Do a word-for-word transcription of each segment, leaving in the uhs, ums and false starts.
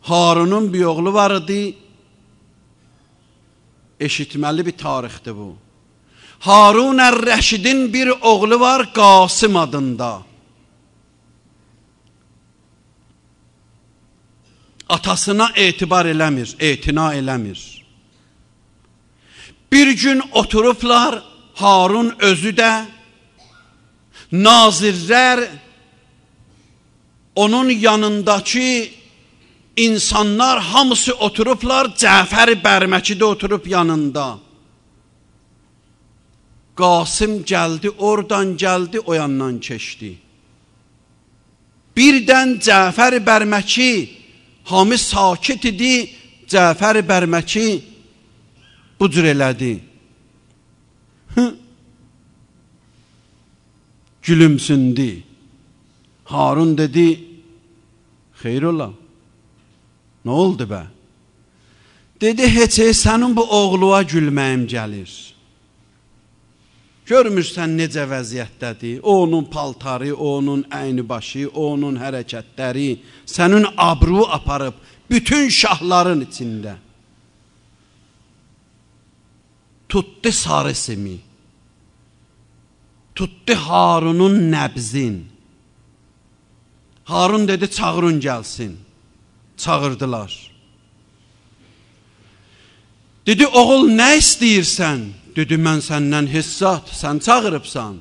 Harunun bir oğlu var idi. Eşitməli bir tarixdir bu. Harun ər-Rəşidin bir oğlu var Qasım adında. Atasına etibar eləmir, etina eləmir. Bir gün oturublar, Harun özü də, nazirlər, onun yanındakı insanlar hamısı oturublar, Cəfər Bərməki də oturub yanında. Qasım gəldi, oradan gəldi, o yandan keçdi. Birdən Cəfər Bərməki, hamı sakit idi, Cəfər Bərməki bu cür elədi. Gülümsündü. Harun dedi, xeyr ola. Nə oldu bə? Dedi, heç sənin bu oğluğa gülməyim gəlir. Görmürsən necə vəziyyətdədir? O onun paltarı, o onun əyni başı, o onun hərəkətləri sənin abru aparıb bütün şahların içində. Tutdu sarı simi. Tutdu Harunun nəbzin. Harun dedi, çağırın gəlsin. Çağırdılar. Dedi, oğul nə istəyirsən? Dedi, mən səndən hissat, sən çağırıbsan.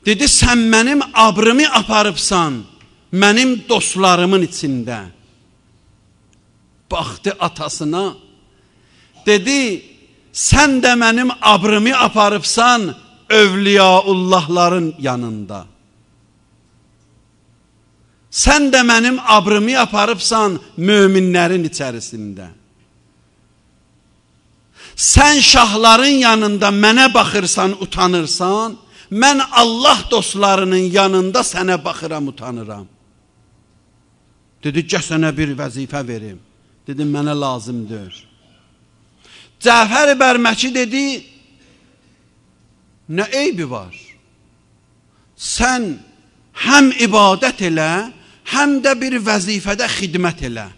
Dedi, sən mənim abrımı aparıbsan, mənim dostlarımın içində. Baxdı atasına, dedi, sən də mənim abrımı aparıbsan, övliyaullahların yanında. Sən də mənim abrımı aparıbsan, möminlərin içərisində. Sən şahların yanında mənə baxırsan, utanırsan, mən Allah dostlarının yanında sənə baxıram, utanıram. Dedi, gəl sənə bir vəzifə verim. Dedi, mənə lazımdır. Cəfər Bərməki dedi, nə eybi var? Sən həm ibadət elə, həm də bir vəzifədə xidmət elə.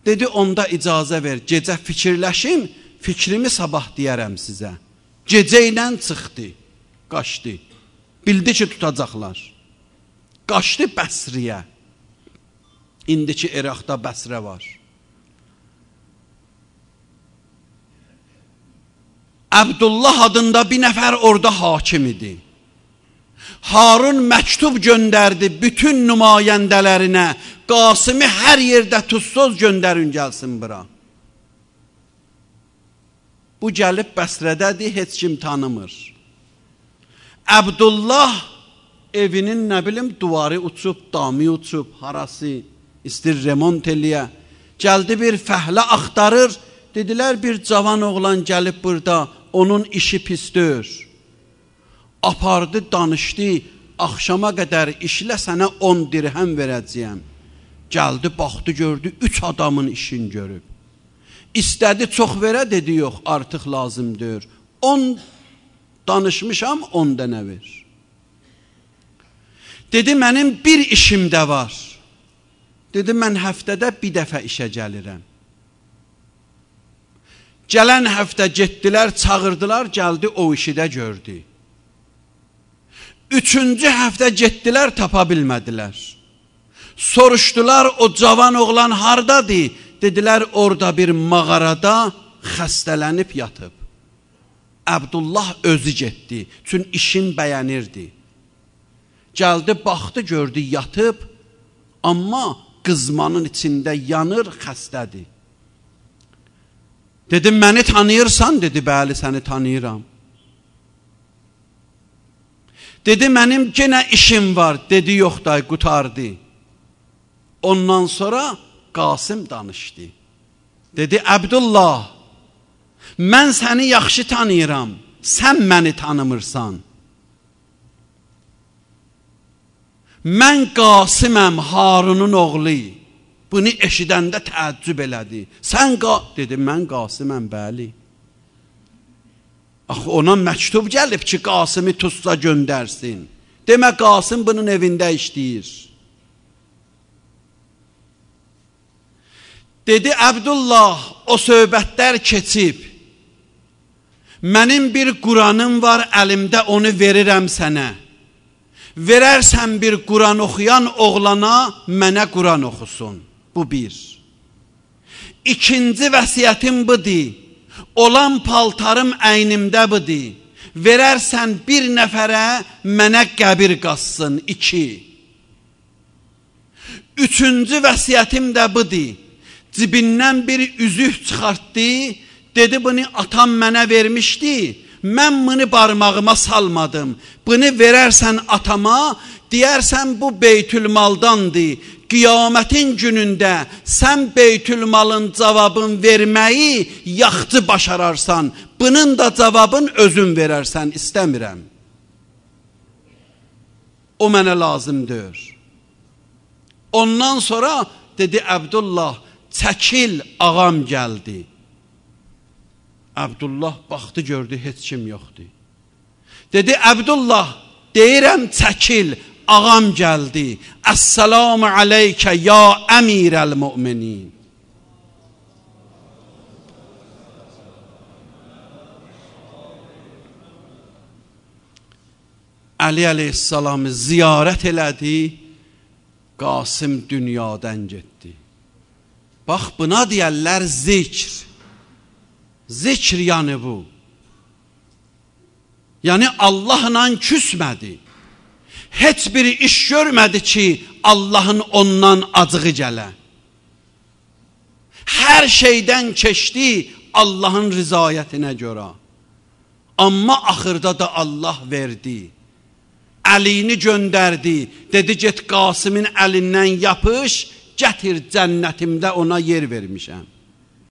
Dedi, onda icazə ver, gecə fikirləşim, fikrimi sabah deyərəm sizə. Gecə ilə çıxdı, qaçdı. Bildi ki, tutacaqlar. Qaçdı Bəsriyə. İndiki İraqda Bəsrə var. Əbdullah adında bir nəfər orada hakim idi. Harun məktub göndərdi bütün nümayəndələrinə, Qasımı hər yerdə tuzsuz göndərin gəlsin bura. Bu gəlib Bəsrədədir, heç kim tanımır. Əbdullah evinin nə bilim duvarı uçub, damı uçub, harası istir remont eləyə. Gəldi bir fəhlə axtarır, dedilər bir cavan oğlan gəlib burada, onun işi pisdir. Apardı, danışdı, axşama qədər işlə sənə on dirhəm verəcəyəm. Gəldi, baxdı, gördü, üç adamın işini görüb. İstədi, çox verə, dedi, yox, artıq lazımdır. on danışmışam, on dənə ver. Dedi, mənim bir işim də var. Dedi, mən həftədə bir dəfə işə gəlirəm. Gələn həftə getdilər, çağırdılar, gəldi, o işi də gördü. Üçüncü həftə getdilər, tapa bilmədilər. Soruşdular, o cavan oğlan hardadır? Dedilər, orada bir mağarada xəstələnib yatıb. Əbdullah özü getdi, çünki işin bəyənirdi. Gəldi, baxdı, gördü, yatıb, amma qızmanın içində yanır, xəstədir. Dedim, məni tanıyırsan? Dedi, bəli, səni tanıyıram. Dedi, mənim yenə işim var. Dedi, yox da, qutardı. Ondan sonra Qasım danışdı. Dedi, Əbdullah, mən səni yaxşı tanıyıram, sən məni tanımırsan. Mən Qasıməm, Harunun oğlu. Bunu eşidəndə təəccüb elədi. Sən qa... Dedi, mən Qasıməm, bəli. Axı, ona məktub gəlib ki, Qasımı tutsa göndərsin. Demə, Qasım bunun evində işləyir. Dedi Əbdullah, o söhbətlər keçib. Mənim bir Quranım var əlimdə, onu verirəm sənə. Verərsən bir Quran oxuyan oğlana, mənə Quran oxusun. Bu bir. İkinci vəsiyyətim budur. Olan paltarım əynimdə budur. Verərsən bir nəfərə, mənə qəbir qazsın. İki. Üçüncü vəsiyyətim də budur. Cibindən bir üzük çıxartdı. Dedi, bunu atam mənə vermişdi. Mən bunu barmağıma salmadım. Bunu verərsən atama, deyərsən bu beytülmaldandır. Qiyamətin günündə sən beytülmalın cavabın verməyi yaxçı başararsan. Bunun da cavabın özün verərsən, istəmirəm. O mənə lazımdır. Ondan sonra dedi Əbdullah, çəkil, ağam gəldi. Əbdullah baxdı, gördü, heç kim yoxdur. Dedi Əbdullah, deyirəm çəkil, ağam gəldi. Əssəlamu aleykə ya əmirəl müminin. Əli əleyhissalamı ziyarət elədi, Qasım dünyadan getdi. Bax, buna deyərlər zikr. Zikr yani bu. Yani Allah'la küsmədi. Heç bir iş görmədi ki, Allah'ın ondan acığı gələ. Hər şeydən keçdi Allah'ın rızayətinə görə. Amma axırda da Allah verdi. Əlini göndərdi. Dedi, get Qasımın əlindən yapış, gətir cənnətimdə ona yer vermişəm.